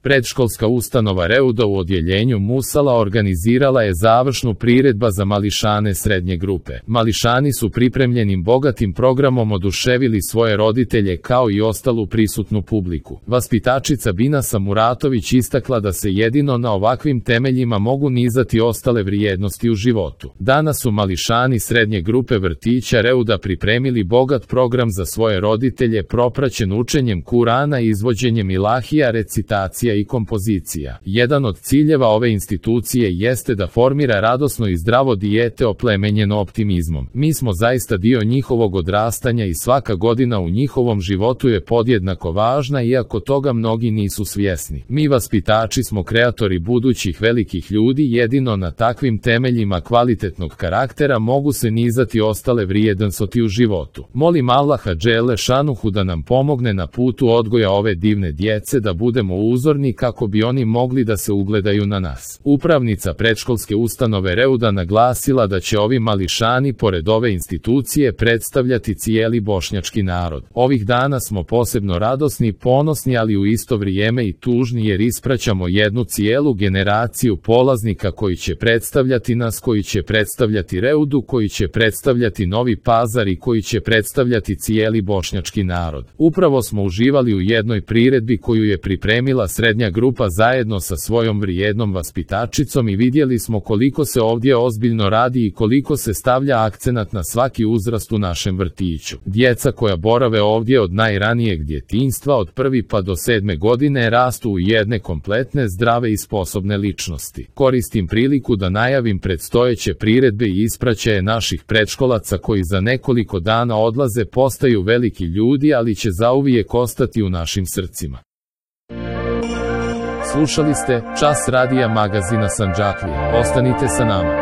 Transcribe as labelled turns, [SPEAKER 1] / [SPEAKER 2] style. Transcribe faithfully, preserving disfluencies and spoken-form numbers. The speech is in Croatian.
[SPEAKER 1] Predškolska ustanova Reuda u odjeljenju Musala organizirala je završnu priredba za mališane srednje grupe. Mališani su pripremljenim bogatim programom oduševili svoje roditelje kao i ostalu prisutnu publiku. Vaspitačica Binasa Muratović istakla da se jedino na ovakvim temeljima mogu nizati ostale vrijednosti u životu. Danas su mališani srednje grupe vrtića Reuda pripremili bogat program za svoje roditelje propraćen učenjem Kurana i izvođenjem ilahija, recitacija i kompozicija. Jedan od ciljeva ove institucije jeste da formira radosno i zdravo dijete oplemenjeno optimizmom. Mi smo zaista dio njihovog odrastanja i svaka godina u njihovom životu je podjednako važna, iako toga mnogi nisu svjesni. Mi vaspitači smo kreatori budućih velikih ljudi, jedino na takvim temeljima kvalitetnog karaktera mogu se nizati ostale vrijednosti u životu. Molim Allaha dželle šanuhu da nam pomogne na putu odgoja ove divne djece, da budemo uzorni kako bi oni mogli da se ugledaju na nas. Upravnica predškolske ustanove Reuda naglasila da će ovi mališani pored ove institucije predstavljati cijeli bošnjački narod. Ovih dana smo posebno radosni, ponosni, ali u isto vrijeme i tužni, jer ispraćamo jednu cijelu generaciju polaznika koji će predstavljati nas, koji će predstavljati Reudu, koji će predstavljati Novi Pazar i koji će predstavljati cijeli bošnjački narod. Upravo smo uživali u jednoj priredbi koju je pripremila srednja grupa zajedno sa svojom vrijednom vaspitačicom i vidjeli smo koliko se ovdje ozbiljno radi i koliko se stavlja akcenat na svaki uzrast u našem vrtiću. Djeca koja borave ovdje od najranijeg djetinjstva, od prvi pa do sedme godine, rastu u jedne kompletne, zdrave i sposobne ličnosti. Koristim priliku da najavim predstojeće priredbe i ispraćaje naših predškolaca koji za nekoliko dana odlaze, postaju veliki ljudi, ali će zauvijek ostati u našim srcima. Slušali ste Čas radija magazina Sandžaklija. Ostanite sa nama.